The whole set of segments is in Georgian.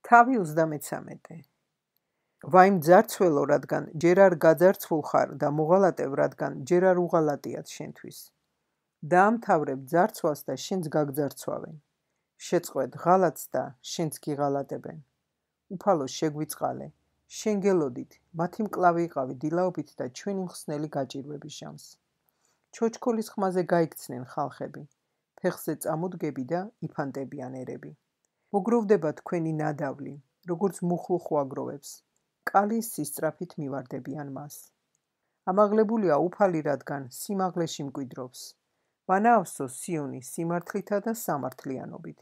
თავი 33. ვაიმ ძარცველო, რადგან ჯერ არ გაძარცვულ ხარ და მოღალატებ, რადგან ჯერ არ უღალატიათ შენთვის. დაამთავრებ ძარცვას და შენც გაგძარცვავენ. შეწყვეტ ღალატს და შენც გიღალატებენ. უფალო შეგვიწყალე, შენ გელოდით, მათი მკლავი იყავი დილაობით და ჩვენი მხსნელი გაჭირვები ჟამს. ჩოჩქოლის ხმაზე გაიქცნენ ხალხები, ფეხზე წამოდგები და იფანტებიან ერები. მოგროვდება თქვენი ნადავლი, როგორც მუხლუ ხვაგროვებს, კალის სისწრაფით მივარდებიან მას. ამაღლებულია უფალი, რადგან სიმაღლეში მკვიდრობს. ვანაავსო სიონი სიმართლითა და სამართლიანობით.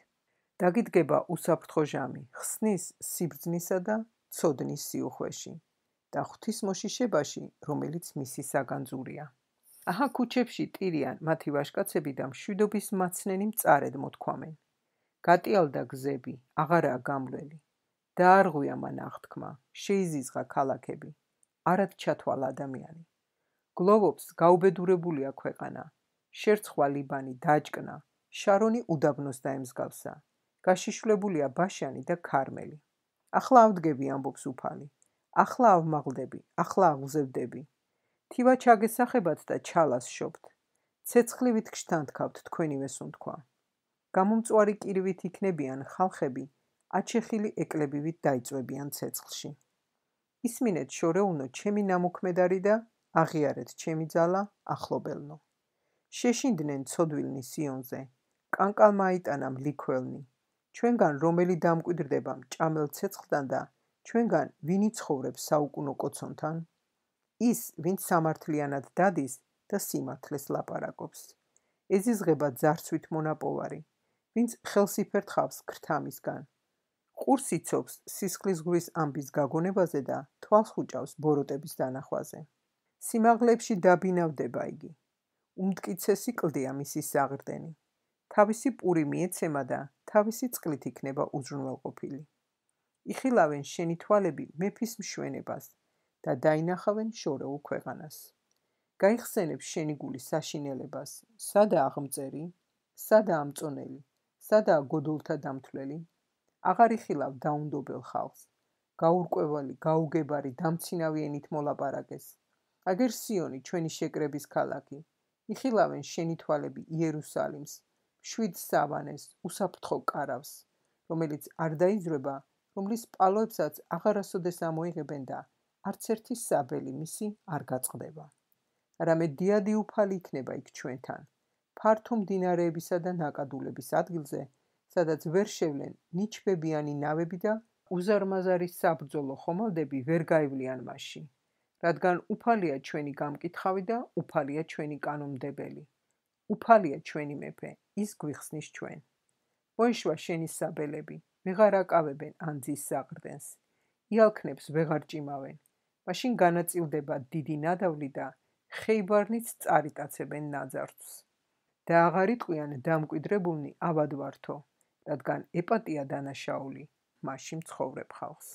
დაგიდგება უსაფრთხო ჟამი, ხსნის სიბრძნისა და ცოდნის სიუხვეში და ღვთისმოშიშებაში, რომელიც მისი საგანძურია. აჰა ქუჩებში ტირიან მათი ვაჟკაცები და მშვიდობის მაცნენი მწარედ მოთქვამენ. გატიალდა გზები, აღარაა გამვლელი. დაარღვია მან აღთქმა, შეიზიზღა ქალაქები, არად ჩათვალ ადამიანი. გლოვობს გაუბედურებულია ქვეყანა, შერცხვა ლიბანი დაჭკნა, შარონი უდაბნოს დაემსგავსა, გაშიშვლებულია ბაშანი და ქარმელი. ახლა ავდგები, ამბობს უფალი, ახლა ავმაღლდები, ახლა აღზევდები. თივა ჩაგესახებათ და ჩალას შობთ, ცეცხლივით გშთანთქავთ თქვენივე სუნთქვა. გამომწვარი კირვით იქნებიან ხალხები, აჩეხილი ეკლებივით დაიწვებიან ცეცხლში. ისმინეთ შორეულნო ჩემი ნამოქმედარი და აღიარეთ ჩემი ძალა ახლობელნო. შეშინდნენ ცოდვილნი სიონზე, კანკალმა აიტანა მლიქველნი. ჩვენგან რომელი დამკვიდრდება მჭამელ ცეცხლთან და ჩვენგან ვინი ცხოვრობს საუკუნო კოცონთან? ის, ვინც სამართლიანად დადის და სიმართლეს ლაპარაკობს. ეზიზღება ძარცვით მონაპოვარი, ვინც ხელს იფერთხავს ქრთამისგან. ყურს იცობს სისხლის ზღვის ამბის გაგონებაზე და თვალს ხუჭავს ბოროტების დანახვაზე. სიმაღლეებში დაბინავდება იგი. უმტკიცესი კლდია მისი საღრდენი. თავისი პური მიეცემა და თავისი წყლით იქნება უზრუნველყოფილი. იხილავენ შენი თვალები მეფის მშვენებას და დაინახავენ შორეულ ქვეყანას. გაიხსენებს შენი გული საშინელებას, სადაა აღმწერი, სადაა მწონელი, სადაა გოდოლთა დამთვლელი. აღარ იხილავ დაუნდობელ ხალხს, გაურკვევალი, გაუგებარი, დამცინავი ენით მოლაპარაკეს. აგერ სიონი ჩვენი შეკრების ქალაქი, იხილავენ შენი თვალები იერუსალიმს, მშვიდ სავანეს, უსაფრთხო კარავს, რომელიც არ დაიძრება, რომლის პალოებსაც აღარასოდეს ამოიღებენ და არც ერთი საბელი მისი არ გაწყდება. არამედ დიადი უფალი იქნება იქ ჩვენთან, ფართო მდინარეებისა და ნაკადულების ადგილზე, სადაც ვერ შევლენ ნიჩბებიანი ნავები და უზარმაზარი საბრძოლო ხომალდები ვერ გაივლიან მასში, რადგან უფალია ჩვენი გამკითხავი და უფალია ჩვენი კანონმდებელი. უფალია ჩვენი მეფე, ის გვიხსნის ჩვენ. მოიშვა შენი საბელები, ვეღარ აკავებენ ანძის საყრდენს, იალქნებს ვეღარ ჭიმავენ, მაშინ განაწილდება დიდი ნადავლი და ხეიბარნიც წარიტაცებენ ნაძარცვს. და აღარ იტყვიან დამკვიდრებულნი ავად ვართო, რადგან ეპატია დანაშაული, მასში მცხოვრებ ხალხს.